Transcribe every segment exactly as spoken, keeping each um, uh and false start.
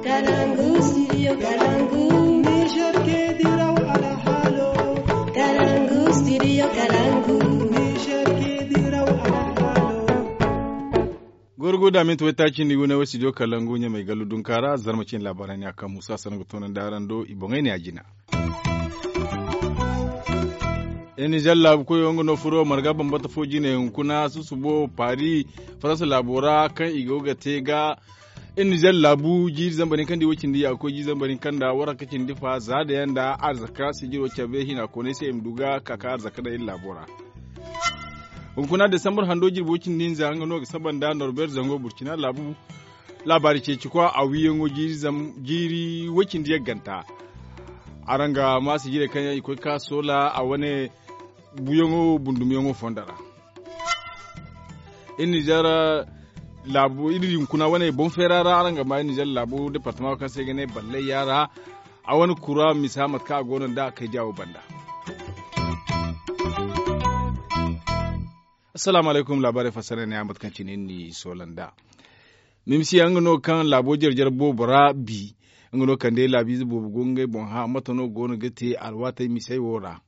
Kalangu studio kalangu. Niger ke diraw alhalo. Kalangu studio kalangu. Niger ke diraw alhalo. Gorgo da minti waytaaci ni wane way studio kalangu ɲamay gallu dunkaara zarma cin laabaarey ne a kaŋ musa sanaŋ ga toonandi araŋ do i boŋey ne a jina. Iri nizer laabu koyo nga no furo marga bambata fo jine hunkuna susubo paari faransa laabo ra kaŋ i go ga te ga. Iri nizer laabu jiiri zambar hinka nda i way cindi ya ga koy jiiri zambar hinka nda waranka cindi fa za da yaŋ nda arzaka sijiro cabe hina koonay se i ma du ga ka ka arzaka daŋ iri laabo ra. Hunkuna desambar hando jirbi way cindi hinza nga no ga saba nda norbert zango burcina laabu laabaari ceeci kwa a wiiyaŋo jiiri way cindi yagganta. Araŋ ga ma sijirey kaŋ yaŋ i koy ga ka soola a wane buuyaŋo bundumyaŋo fondo ra. Iri nizer laabu iri hunkuna wane boŋ feera ra araŋ ga ma iri nizer laabu departama kaŋ se i ga ne ballay yaara a wane kura misa mate kaŋ a go no nda a kay diya wo banda. Assalaamu alaykum laabaarey fassara ne a mate kaŋ cine ni soola nda mimisiyaŋ nga no kaŋ laabo jare jare boobo ra bi. Nga no kande laabiize boobo go ngey boŋ hã mate no go no ga te alwaatey misey wo ra.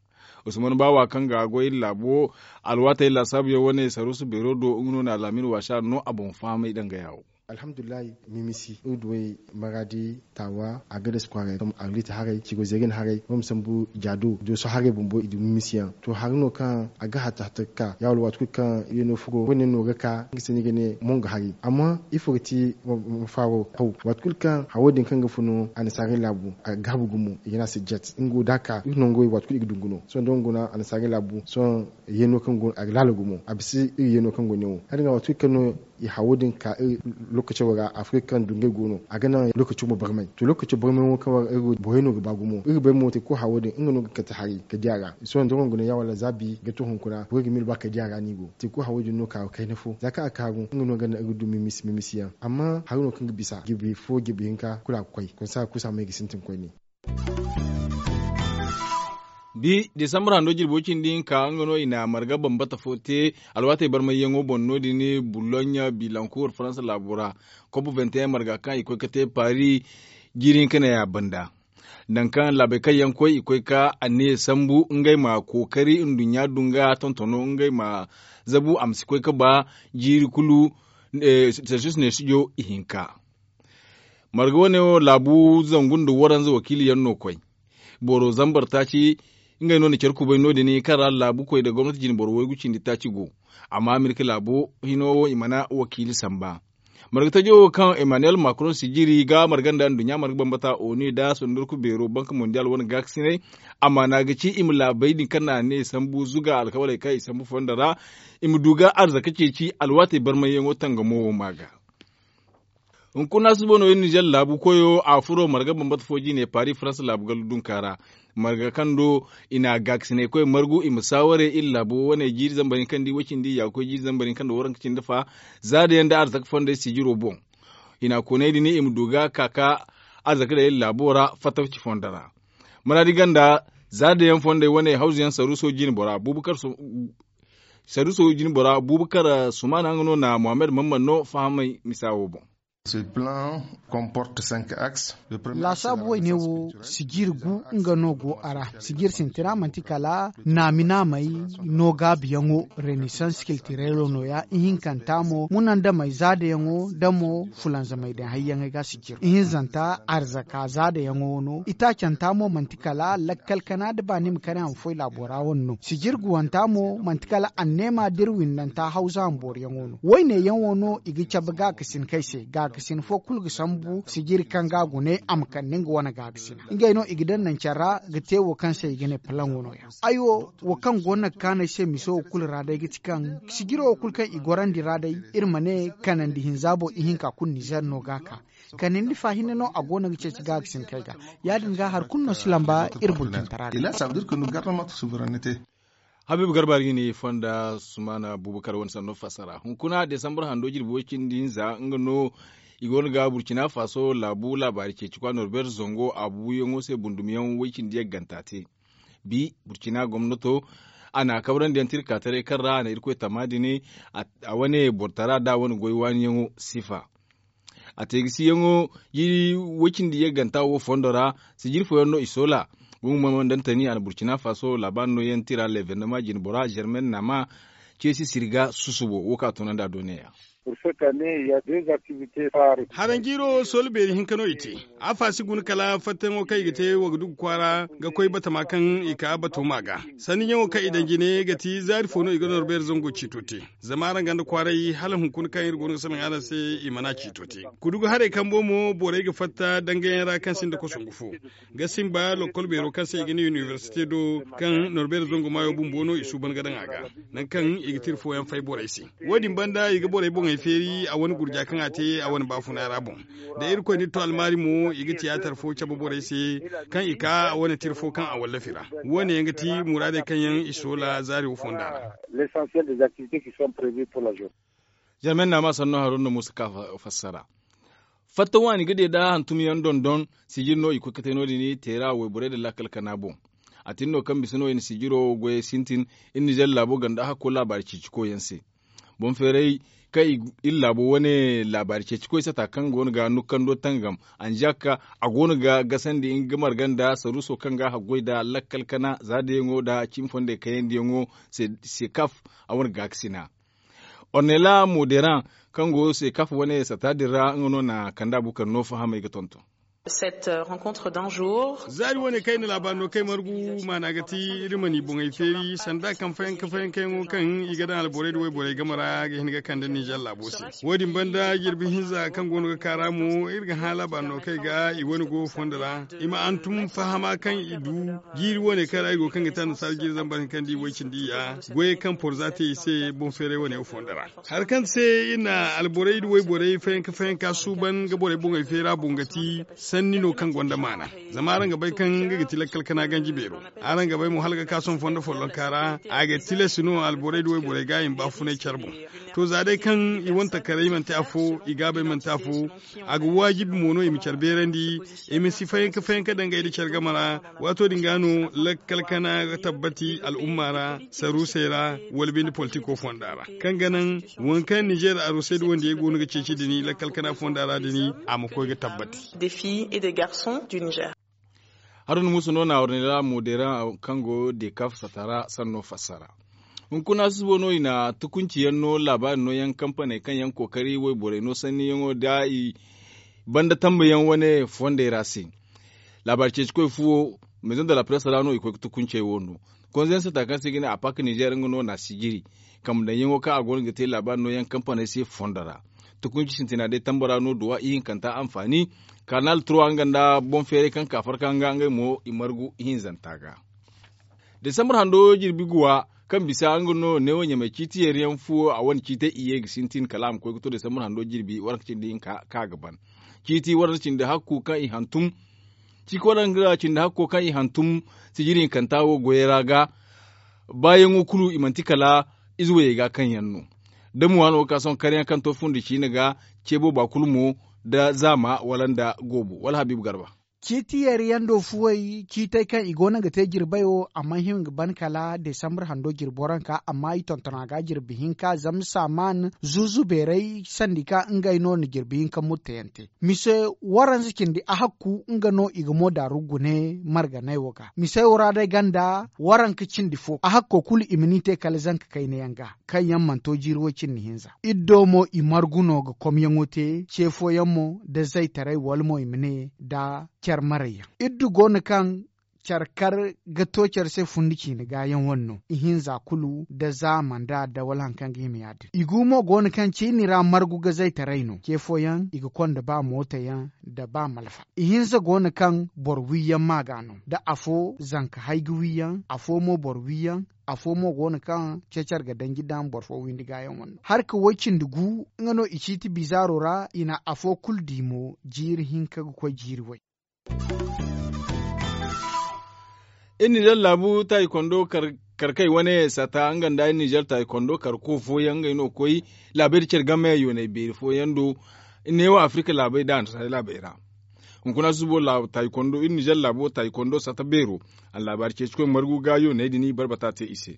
Usman baawa kaŋ ga goy iri laabo alwaatey laasaabuyaŋ wane saruusu beero do nga no na alaamin waasa no a boŋ fahamay danga yaawo. Alhamdulillahi, mimisi iri duwey maraadi taawa a ga dasu kwaaray a ga liiti haray cigo zeegan haray nga ma sambu jaado dooso haray bumbo i du mimisiyaŋ to hari no kaŋ a ga hatta hatta ga ka ya wala waati kulu kaŋ yeeno furo wane no ga ka nga se no i ga ne mongo hari amma ifo ga ti mafaaro haw waati kulu kaŋ hawo din kaŋ ga funu annasaarey laabu a ga gaabu gumo i ga ne a se jet nga wo da a ka iri nangurey waati kulu i ga du nga no sohõ da nga guna annasaarey laabu sohõ yeeno kaŋ go a ga laala gumo a bisa iri yeeno kaŋ go ne wo hari nga waati kulu kaŋ no i hawo din ka iri lokaco ra afirka kaŋ dungay go no a ga naŋ lokaco ma barmay to lokaco barmay wo kaŋ ra iri borey no ga ba gumo iri bay mo te ko hawo din nga no ga kate hari ka di a ra sohõ da nga guna ya wala zaabi ga to hunkuna borey ga miila ba ka di a ra no i go te ko hawo din no ka kayna fo za kaŋ a kaaru nga no ga naŋ iri du mimisi mimisi yaŋ amma hari no kaŋ ga bisa jirbi fo jirbi hinka kulu a ga koy konsa kusa may ga sintin koyne. Bi desambar hando jirbo cindi hinka nga no i na marga bambata fo te alwaatey barmayyaŋo boŋ no- din boulogne bilancourt faransa laabo ra kobo vingt et un marga kaŋ i koy ga te paris jiiri hinka ne a banda. Nangu kaŋ laabey kaŋ yaŋ koy i koy ga anniya sambu ngey ma kookari nduɲɲa dunga tontono ngey ma zabu a ma si koy ga ba jiiri kulu. Celsius ne sujo ihinka marga wane wo laabu zangu nda waranza wakiili yaŋ no koy boro zambar taaci ngey no na care kubay no- din kaŋ ra laabu koy nda gomnati jine boro waygu cindi taaci go. Amma amerika laabo hino wo i mana wakiili samba marga tajo wo kaŋ emmanuel macron sijiri ga marga nda nduɲɲa marga bambata onu nda sondorku beero banka mondial wane gaakasinay. Amaana ga ci i ma laabey din kaŋ na ne sambu zuga alkawaley kaŋ i sambu fondo ra i ma du ga arzaka ceeci alwaatey barmayyaŋo tangamo wo ma ga. Hunkuna suba no iri nizer laabu koyo a furo marga bambata fo jine paris faransa laabu gallu dunka ra marga kaŋ do i na gaakasinay koy margu i ma saaware iri laabo wane jiiri zambar hinka nda i way cindi ya ga koy jiiri zambar hinka nda waranka cindi fa za da yaŋ nda arzaka fondey sijiro boŋ. I na koonay din i ma du ga ka ka arzaka daŋ iri laabo ra fatawci fondo ra maraadi ganda za da yaŋ fondey wane hawzu yaŋ saruuso jine bora bubakar saruuso jine bora bubakar sumana nga no na mohammed mamman no fahamay misa wo boŋ. Laasaabu wayne wo sijir gu nga no go a ra sijir sintina manti kala naami naamey no gaabiyaŋo renaissance culturelo nooya ihinkanta mo munandamey zaadayaŋo da mo fulanzamey daŋ hayyaŋey ga sijir ihinzanta arzaka zaadayaŋo no itaacanta mo manti kala lakkal kana da ba ni ma kani a ma foy laabo ra wane no sijir guwanta mo manti kala anneema da iri windanta hawza hambooriyaŋo no wayne yaŋo no i ga cabe gaakasin kay se gaakasin fo kulu ga sambu sijiri kaŋ ga a gune a ma kande nga wane gaakasina ngey no i ga daŋ naŋ care ra ga te wo kaŋ se i ga ne palaŋo nooya ay wo wo kaŋ go no ga kaanu ay se mise wo kulu ra day ga ti kaŋ sijiro wo kulu kaŋ i gorandi ra day iri ma ne kanandi hinza boŋ ihinka kulu nizer no ga a ka kanandi fa hinne no a go no ga ceeci gaakasin kay ga ya- din ga hari kulu no si lamba iri burcintara day. Habiibu garba ga ni fonda sumana bubakar wane sanno fassara hunkuna desambar hando jirbi way cindi hinza nga no i go no ga burcina faso laabu laabaari ceeci kwa norbert zango a buuyaŋo se bundumyaŋ way cindi yagganta te bi burcina gomnato a na kabrandi yaŋ tirka taray kaŋ ra a na irkoy tama din a wane bortara da a wane goy waaniyaŋo sifa. A te ga si yaŋo jiiri way-cindi yagganta wo fondo ra. Sijiri fooyaŋ no i soola. Gumo mo ndantani a na burcina faso laabaari no yaŋ tira leevernama jinbora germain nama ceesi sirga susubo wo kaŋ a toonandi a do neeya. Haraŋ jiiro soola beeri hinka no i te. A faasi guna kala fattayaŋo kaŋ i ga te wagadugu kwaara ga koy batama kaŋ i ka batoma ga. Sanni ɲaŋo kaŋ i daŋ jine ga ti zaari fo no i ga norbeeri zango ciito te. Zama araŋ ganda kwaaray hala hunkuna kaŋ iri go no ga salaŋ araŋ se i mana ciito te. Kudugu haray kambo mo borey ga fatta dangayaŋ ra kaŋ sinda kosongu fo ga simba lokkol beero kaŋ se i ga ne inibersite do kaŋ norbeeri zango maayo bumbo no i suuban ga daŋ a ga. Nangu kaŋ i ga tira fooyaŋ fay borey se. Wo- din banda i ga borey boŋey feeri a wane gurja kaŋ a te a wane baafuna ra boŋ. Da irkoy na iri to almaari mo i ga tiyaatar fo cabe borey se kaŋ i ka a wane tira fo kaŋ a wallafi ra. Wo- ne yaŋ ga ti muraadey kaŋ yaŋ i soola zaari wo fonda ra. Zama ay na a ma sanno haruna musa ka fassara. Fatta waani ga de da hantum yaŋ dondon. Sijir no i koy ga te no- din teera wayborey nda laakal kana boŋ. A tin no kaŋ bisa no i na sijiro goyey sintin. Iri nizer laabo ganda hakko laabaari ceeci koy yaŋ se. Boŋ feeray kaŋ iri laabo wane laabaari ceeci koy sata kaŋ go no ga nukkando tangam. Anzaka a go no ga gasandi nga marga nda saruuso kaŋ ga haggoy nda lakkal kana za dayaŋo nda cimi fondey kayandi yaŋo. Se kaf a wane gaakasina. Ornela moderaŋ kaŋ go se kaf wane sata din ra nga no na kande a bukar no fahamey ga tonton. Zaari wane kaŋ ay na laabaari no kaŋ ay margu maana ga ti iri ma ni boŋey feeri sanda kaŋ fayanka fayankayaŋo kaŋ i ga daŋ alborey nda wayborey game ra ga hin ga kande ninzeer laabo se. Wo- din banda jirbi hinza kaŋ go no ga kaara mo iri ga hã laabaari no kaŋ ay ga i wane go fondo ra i ma hantum fahama kaŋ i du. Jiiri wane kaŋ ra i go kaŋ ga te annasaara jiiri zambar hinka nda i way cindi iyya goyey kaŋ porza te i se boŋ feeray wane wo fondo ra. Hari kaŋ se iri na alborey nda wayborey fayanka fayanka suuban ga borey boŋey feera boŋ ga ti sanni no kaŋ gonda maana. Zama araŋ ga bay kaŋ nga ga ti lakkal kana ganji beero. Araŋ ga bay mo hala ga ka sohõ fondo follonka ra a ga tilas no alborey nda wayborey ga i ma baafunay care boŋ. To za day kaŋ i wane takaray manti afo i gaabey manti afo. A ga waajibi mo no i ma care beerandi i ma si fayanka fayanka dangay nda care game ra. Waato din ga no lakkal kana ga tabbati al'umma ra saruusey ra wala binde politiko fonda ra kaŋ ga naŋ waŋ kaŋ ninzeer arusey nda wandiyey go no ga ceeci din lakkal kana fonda ra din a ma koy ga tabbati. Haruna muusa no na warnay ra moodera kaŋ go dekaf satara sanno fassara. Hunkuna susubo no i na tukunci yaŋ no laabaari no yaŋ kampaney kaŋ yaŋ kookari wayborey no sanni yaŋo da i banda tambayaŋ wane fondey ra se. Laabaari ceeci koy fuwo maison de la presse ra no i koy ga tukuncey wo no. Konzayaŋ sata kaŋ se i ga ne a pak ninzeer nga no na sijiri kambe daŋ yaŋo kaŋ a go no ga te laabaari no yaŋ kampaney se fondo ra. Tukunci sintina day tambo ra no duwa ihinkanta anfaani. Kanal trois nga nda boŋ feeray kaŋ ka farka nga ngey mo i margu ihinzanta ga. Desambar hando jirbi guwa kaŋ bisa nga no neewo ɲamay ciiti yeeri yaŋ fuwo a wane ciitey i ye ga sintin kala a ma koy ga to desambar hando jirbi waranka cindi hinka kaŋ a ga ban. Ciiti waranka cindi hakku kaŋ i hantum ciiti waranka cindi hakko kaŋ i hantum sijiri hinkanta wo goyey ra ga. Baayaŋo kulu i manti kala ize wayey ga kaŋ yaŋ no. Da mo waano ga ka sohõ karyaŋ kaŋ to fundi ciine ga ce booba kulu mo da zaama wala nda goobo wala habiibu garba. Ciiti yeeri yaŋ do fuwey ciitey kaŋ i go no ga te jirbayo a mana hima ga ban kala desambar hando jirbi waranka amma i tonton a ga jirbi hinka zama saaman zuuzu beeray sandi kaŋ ngey no na jirbi hinka mutteyaŋ te. Mise waranza cindi ahakku nga no i ga mo daaru gune marganey wo ga mise wo ra day ganda waranka cindi fo ahakko kulu i ma ni te kala zanka kayna yaŋ ga kaŋ yaŋ mana to jiiri way cindi hinza. Iri do mo i margu no ga komyaŋo te ce fooyaŋ mo da zaytaray wala mo i ma ne da care marayyaŋ iri du go no kaŋ care kar ga to care se fundi ciine ga yaŋ wane no ihinza kulu da zaama nda adda wala hari kaŋ ga hima ya- din i gu mo go no kaŋ ciini ra margu ga zaytaray no ce fooyaŋ i ga konda ba mooto yaŋ da ba malfa. Ihinza go no kaŋ boro wi yaŋ ma ga no da afo zanka hay ga wi yaŋ afo mo boro wi yaŋ. Afo mo go no kaŋ ce care ga danji daŋ boro fo windi ga yaŋ wane no hari ka way cindi gu nga no i ciiti bizaaro ra i na afo kulu di mo jiiri hinka ga koy jiiri way. Iri nizer laabu taayi kondo karkey wane sata nga nda iri nizer taayi kondo karko fooyaŋ ngey no ga koy laabey nda care game yooney beeri fooyaŋ do. Neewo afirika laabey nda annasaarey laabey ra. Hunkuna susubo taayi kondo iri nizer laabo taayi kondo sata beero. Allaabaari ceeci koy margu ga yooney din barbata te i se.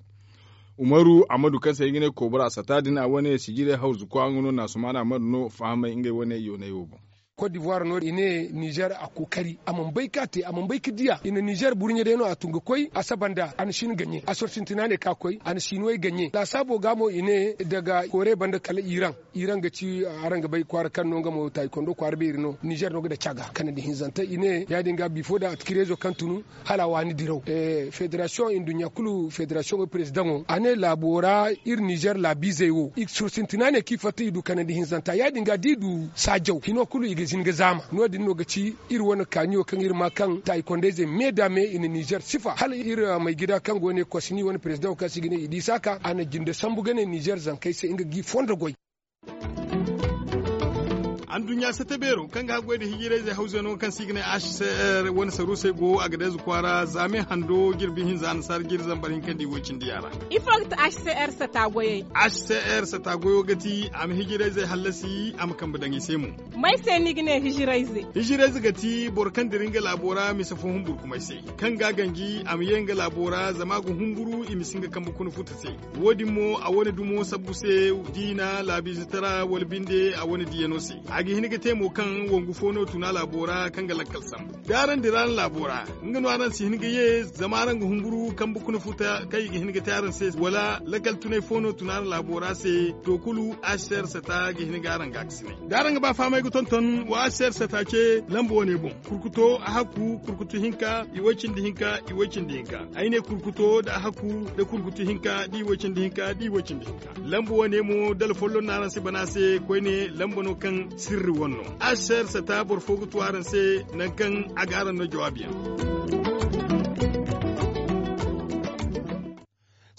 Umaru ammadu kaŋ se ay ga ne koobara sata din a wane sijirey hawzu kwa nga no na sumaana ammadu no fahamay ngey wane yooney wo boŋ. Kot divuwar no i ne nizer a kookari a mana bay ka te a mana bay ka diya i na nizer burɲe day no a tun ga koy a saba nda a na shin gaɲe a sorsintina ne ka koy a na shinuwey gaɲe laasaabo ga mo i ne daga koore banda kala iran. Iran ga ci araŋ ga bay kwaara kaŋ no nga mo taayikondo kwaara beeri no nizer no ga daci a ga kanandi hinzante i ne ya- din ga bifo da atikireezo kaŋ tunu hala a waani diraw. Federasiyoŋ nduɲɲa kulu federasiyoŋo perezidaŋo a ne laabo ra iri nizer laabiizey wo i ga sorsintina ne kaŋ i fatta i du kanandi hinzanta ya- din ga da i du saajaw hino kulu i ga hin ga zaama no- din no ga ci iri wane kaaniyo kaŋ iri ma kaŋ taayikondayzey me da me i na nizer sifa hala iri maygida kaŋ go ne kosini wane perezidaŋo kaŋ se i ga ne i di saaka a na jinde sambu ga ne nizer zankey se nga ga i fondo goy. Anduɲɲa sate beero kaŋ ga haggoy nda hijirayzey hawzey no kaŋ se i ga ne h c r wane saruusey go a ga deeza kwaara zaame hando jirbi hinza annasaara jiri zambar hinka nda i woy cindi yaŋ ra. Ifo ga ti h c r sata goyey? H c r sata goyo ga ti a ma hijirayzey hallasi a ma kambe daŋ i se mo. May se ni ga ne hijirayze? Hijirayze ga ti boro kaŋ dira nga laabo ra mise fo humburkumay se, kaŋ ga a ganji a ma ye nga laabo ra zama a ga humburu i ma si nga kambe kuna futa se. Wo- din mo a wane dumo sabbu se diina laabiize tara wala binde a wane diyano se. A ga hin ga te mo kaŋ wangu fo no tuna laabo ra kaŋ ga lakkal sambu da araŋ dira araŋ laabo ra, nga no araŋ si hin ga ye zama araŋ ga humburu kambe kuna futa kaŋ i ga hin ga te araŋ se wala lakkal tunay fo no tuna araŋ laabo ra se. To kulu, aser sata ga hin ga araŋ ga a ga sinay da araŋ ga ba fahamay ga tonton wa aser sata ce lamba wane boŋ. Kurkuto a hakku kurkutu hinka i way cindi hinka i way cindi hinka. Ay ne kurkuto da a hakku da kurkutu hinka da i way cindi hinka da i way cindi hinka. Lamba wane mo dala folloŋ no araŋ si bana se koyne lamba no kaŋ sirri wane no. Aser sata boro fo ga tu araŋ se nangu kaŋ a ga araŋ no jawaabi yaŋ.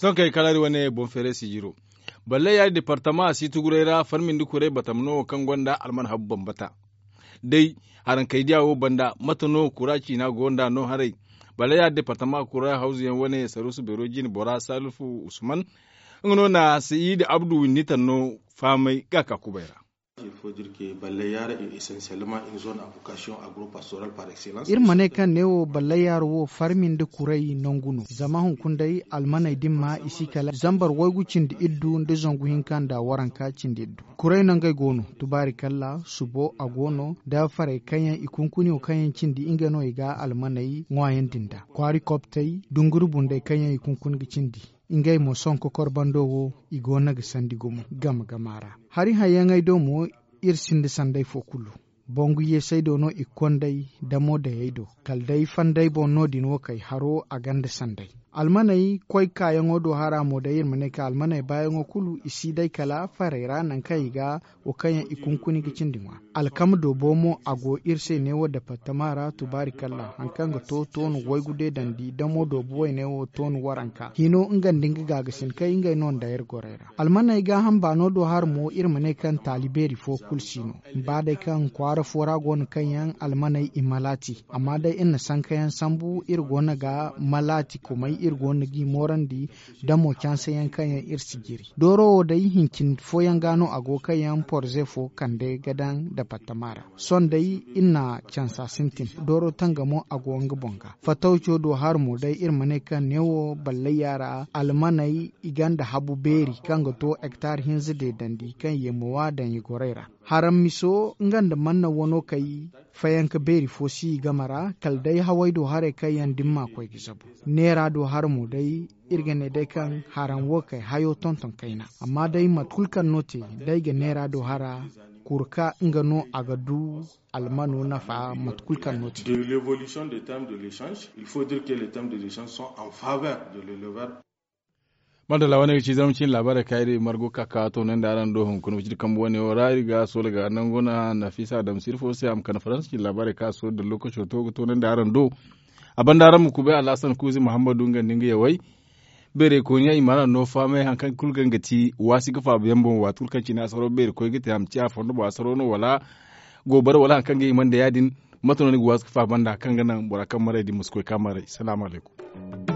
Sohõ kay kala iri wane boŋ feeray sijiro balle yaadi departama a si tuguray ra farmi nda kuray batama no wo kaŋ gonda alman habu bambata. Day harankaydiya wo banda mate no kura ciina go nd'a no haray. Balle yaadi departama kura hawzu yaŋ wane saruusu beero jine bora salifu usman nga no na sayiidi abdu winnitan no fahamay ga ka kubay ra. Iri ma ne kaŋ neewo ballayyaaro wo farmi nda kuray nangu no zama hunkuna day almaney din ma i si kala zambar waygu cindi iddu nda zangu hinka nda waranka cindi iddu. Kuray no ngey go no tubaari kalla subo a go no da farey kaŋ yaŋ i kunkuni wo kaŋ yaŋ cindi ngey no i ga almaney ŋwaayandi nda kwaari koptey dunguri bunday kaŋ yaŋ i kunkuni ga cindi. Ngey mo sohõ kokor bando wo i go no ga sandi gumo game game a ra. Hari hayyaŋey do mo iri sinda sanday fo kulu. Bangu yeesey do no i ga konday damo dayey do kala day fanday boŋ no- din wo kay haro a gonda sanday. Almaney koy kaayaŋo do hara mo day iri ma ne kaŋ almaney baayaŋo kulu i si day kala farey ra nangu kaŋ i ga wo kaŋ yaŋ i kunkuni ga cindi ŋwa. Alkama doobo mo a go iri se neewo departama ra tubaari kalla hari kaŋ ga to toonu waygu deedandi damo doobo wayne wo toonu waranka hino nga nda nga gaagasin kay ngey no nda iri gorey ra. Almaney gaaham baano do hari mo iri ma ne kaŋ taali beeri fo kulu si no. Ba day kaŋ kwaara fo ra go no kaŋ yaŋ almaney i malaati amma day iri na sankayaŋ sambu iri go no ga malaati kumay iri go no g'i moorandi. Da mo canse yaŋ kaŋ yaŋ iri si jiri dooro wo day hincin fooyaŋ ga no a go kaŋ yaŋ porze fo kande ga daŋ departama ra. Sohõ day iri na cansa sintin dooro tanga mo a go nga boŋ ga fatawco do hari mo day iri ma ne kaŋ neewo ballayya ra almaney i gonda habu beeri kaŋ ga to hektar hinza deedandi kaŋ yeemowa daŋ i gorey ra. Haram miso nga nda manna wano kay fayanka beeri fo si i game ra kala day haway do haray kaŋ yaŋ dimma koy ga zabu. Neera do hara mo day iri ga ne day kaŋ haram wo kay hayo tonton kayna amma day mate kulu kaŋ no te day ga neera do hara kurka nga no a ga du almano nafa mate kulu kaŋ no te. De l'évolution des termes de l'échange il faut dire que les termes de l'échange sont en faveur de l'éleveur. Madalla wane ga ci zama cin laabaarey ka iri margu ka ka toonandi araŋ do hunkuna wicidi kambe wane wo ra iri ga soola ga nangu na nafisa adamsir fo se a ma kande faransa cin laabaarey ka soola da lokaco to ga toonandi araŋ do. A banda araŋ ma kubay alhasan kuuzi muhammadu nga nda nga yawey. Beerey kooniyaŋ i ma araŋ no fahamay hari kaŋ kulu ga nga ti waasi ga faabu yaŋ boŋ waati kulu kaŋ cine asaro beeri koy ga te a ma ci a fondo boŋ asaro no wala goobara wala hari kaŋ ga hima nda ya- din. Mate no ni ga waasi ga faabu banda hari kaŋ ga naŋ bora kaŋ maray din ma si koy ka maray salaamu alaykum.